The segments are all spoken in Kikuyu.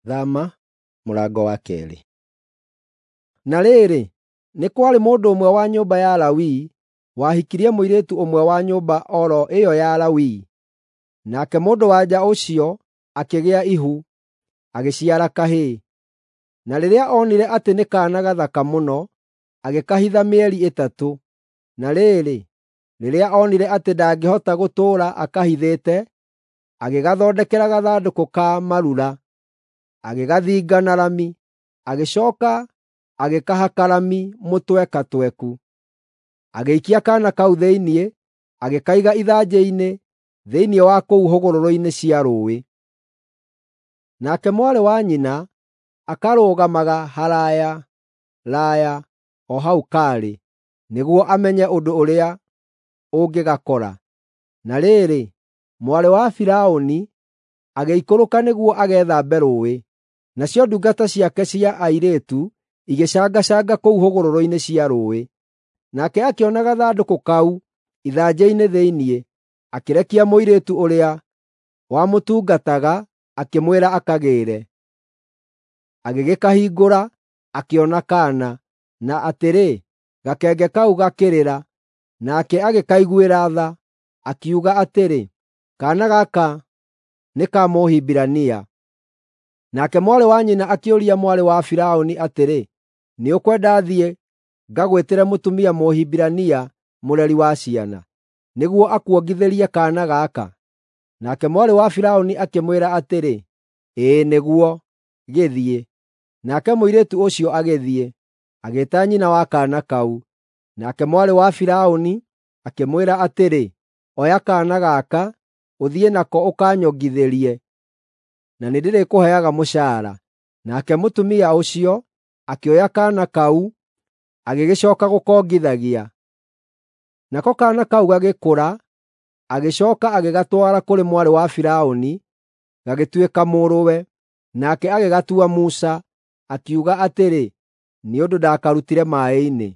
Thama mũrango wa 2. Na rĩrĩ, nĩ kwarĩ mũndũ ũmwe wa nyũmba ya Lawi wahikirie mũirĩtu ũmwe wa nyũmba o ro ĩyo ya Lawi. Nake mũndũ-wa-nja ũcio akĩgĩa ihu, agĩciara kahĩĩ. Na rĩrĩa onire atĩ nĩ kaana gathaka mũno, agĩkahitha mĩeri 3. Na rĩrĩ, rĩrĩa onire atĩ ndangĩhota gũtũũra akahithĩte, agĩgathondekera gathandũkũ ka marura, agĩgathinga na rami, agĩcooka agĩkahaka rami mũtwekatweku. Agĩikia kaana kau thĩinĩ, agĩkaiga ithanjĩ-inĩ thĩinĩ wa kũu hũgũrũrũ-inĩ cia rũũĩ. Nake mwarĩ wa nyina akarũgamaga haraaya raaya o hau kaarĩ, nĩguo amenye ũndũ ũrĩa ũngĩgakora. Na rĩrĩ, mwarĩ wa Firaũni agĩikũrũka nĩguo agethambe rũũĩ, nacio ndungata ciake cia airĩtu igĩcangacanga kũu hũgũrũrũ-inĩ cia rũũĩ. Nake akĩona gathandũkũ kau ithanjĩ-inĩ thĩinĩ, akĩrekia mũirĩtu ũrĩa wamũtungataga akĩmwĩra akagĩĩre. Agĩgĩkahingũra, akĩona kaana, na atĩrĩ, gakenge kau gakĩrĩra. Nake agĩkaiguĩra tha, akiuga atĩrĩ, “Kaana gaka nĩ ka Mũhibirania.” Nake mwarĩ wa nyina akĩũria mwarĩ wa Firaũni atĩrĩ, “Nĩũkwenda thiĩ ngagwĩtĩre mũtumia Mũhibirania mũreri wa ciana, nĩguo akuongithĩrie kaana gaka?” Nake mwarĩ wa Firaũni akĩmwĩra atĩrĩ, “Ĩĩ nĩguo, gĩthiĩ.” Nake mũirĩtu ũcio agĩthiĩ, agĩĩta nyina wa kaana kau. Nake mwarĩ wa Firaũni akĩmwĩra atĩrĩ, “Oya kaana gaka, ũthiĩ nako ũkanyongithĩrie, na nĩndĩrĩkũheaga mũcaara.” Nake mũtumia ũcio akĩoya kaana kau, agĩgĩcooka gũkongithagia. Nako kaana kau gagĩkũra, agĩcooka agĩgatwara kũrĩ mwarĩ wa Firaũni, gagĩtuĩka mũrũwe. Nake agĩgatua Musa, akiuga atĩrĩ, “Nĩ ũndũ ndakarutire maaĩ-inĩ.”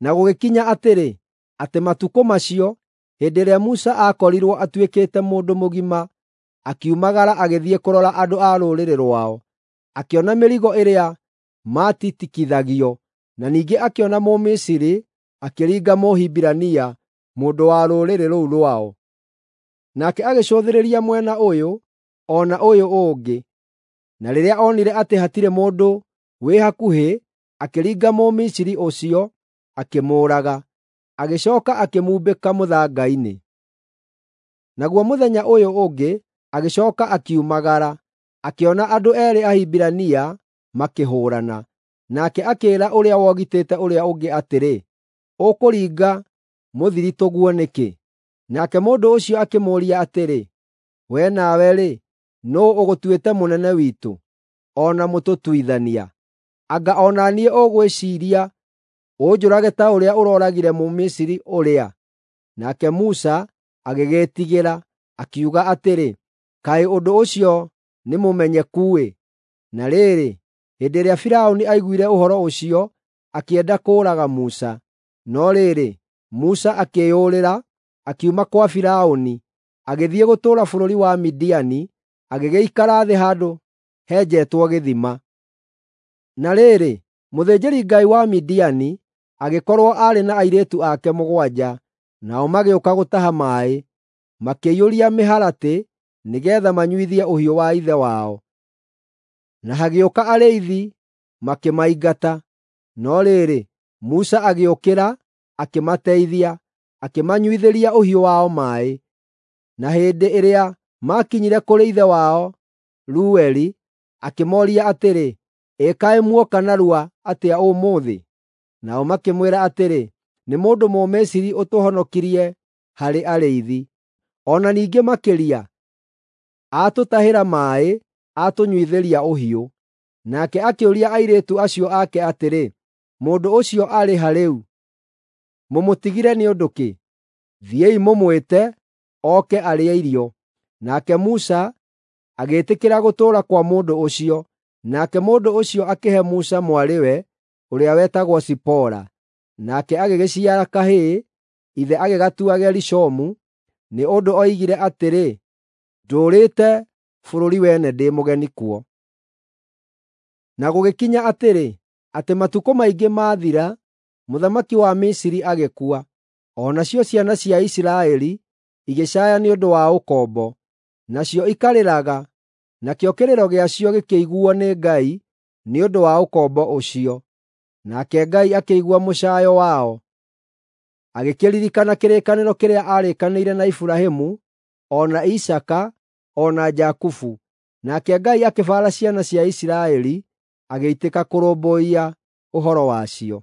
Na gũgĩkinya atĩrĩ, atĩ matukũ macio, hĩndĩ ĩrĩa Musa aakorirwo atuĩkĩte mũndũ mũgima, akiumagara agĩthiĩ kũrora andũ a rũrĩrĩ rwao. Akĩona mĩrigo ĩrĩa maatitikithagio, na ningĩ akĩona Mũmisiri akĩringa Mũhibirania, mũndũ wa rũrĩrĩ rũu rwao. Nake agĩcũthĩrĩria mwena ũyũ o na ũyũ ũngĩ, na rĩrĩa onire atĩ hatirĩ mũndũ wĩ hakuhĩ, akĩringa Mũmisiri ũcio, akĩmũũraga. Agĩcooka akĩmumbĩka mũthanga-inĩ. Naguo mũthenya ũyũ ũngĩ agĩcooka akiumagara, akĩona andũ eerĩ Ahibirania makĩhũũrana. Nake akĩĩra ũrĩa wogitĩte ũrĩa ũngĩ atĩrĩ, “Ũkũringa mũthiritũguo nĩkĩ?” Nake mũndũ ũcio akĩmũũria atĩrĩ, “Wee nawe-rĩ, nũũ ũgũtuĩte mũnene witũ, o na mũtũtuithania? Anga o na niĩ ũgwĩciiria ũnjũrage ta ũrĩa ũrooragire Mũmisiri ũrĩa?” Nake Musa agĩgĩĩtigĩra, akiuga atĩrĩ, “Kaĩ ũndũ ũcio nĩmũmenyeku-ĩ!” Na rĩrĩ, hĩndĩ ĩrĩa Firaũni aiguire ũhoro ũcio, akĩenda kũũraga Musa. No rĩrĩ, Musa akĩĩyũrĩra, akiuma kwa Firaũni, agĩthiĩ gũtũũra bũrũri wa Midiani, agĩgĩikara thĩ handũ henjetwo gĩthima. Na rĩrĩ, mũthĩnjĩri-ngai wa Midiani agĩkorwo aarĩ na airĩtu ake 7, nao magĩũka gũtaha maaĩ, makĩiyũria mĩharatĩ nĩgeetha manyuithie ũhiũ wa ithe wao. Na hagĩũka arĩithi makĩmaingata. No rĩrĩ, Musa agĩũkĩra, akĩmateithia, akĩmanyuithĩria ũhiũ wao maaĩ. Na hĩndĩ ĩrĩa maakinyire kũrĩ ithe wao Reueli, akĩmooria atĩrĩ, “Ĩ kaĩ muoka narua atĩa ũmũthĩ?” Nao makĩmwĩra atĩrĩ, “Nĩ mũndũ Mũmisiri ũtũhonokirie harĩ arĩithi. O na ningĩ makĩria, aatũtahĩra maaĩ, atũnyuithĩria ũhiũ.” Nake akĩũria airĩtu acio ake atĩrĩ, “Mũndũ ũcio arĩ ha rĩu? Mũmũtigire nĩ ũndũ kĩ? Thiĩi mũmwĩte, oke arĩe irio.” Nake Musa agĩĩtĩkĩra gũtũũra kwa mũndũ ũcio. Nake mũndũ ũcio akĩhe Musa mwarĩwe ũrĩa wetagwo Zipora. Nake agĩgĩciara kahĩĩ, ithe agĩgatua Gerishomu, nĩ ũndũ oigire atĩrĩ, “Ndũũrĩte bũrũri wene ndĩ mũgeni kuo. Na gũgĩkinya atĩrĩ, atĩ matukũ maingĩ maathira, mũthamaki wa Misiri agĩkua, o nacio ciana cia Isiraeli igĩcaaya nĩ ũndũ wa ũkombo, nacio ikarĩraga, nakĩo kĩrĩro gĩacio gĩkĩiguuo nĩ Ngai nĩ ũndũ wa ũkombo ũcio. Nake Ngai akĩigua mũcaayo wao, agĩkĩririkana kĩrĩkanĩro kĩrĩa aarĩkanĩire na Iburahĩmu, o na Isaaka, o na Jakubu. Nake Ngai akĩbaara ciana cia Isiraeli, agĩitĩka kũrũmbũiya ũhoro wacio.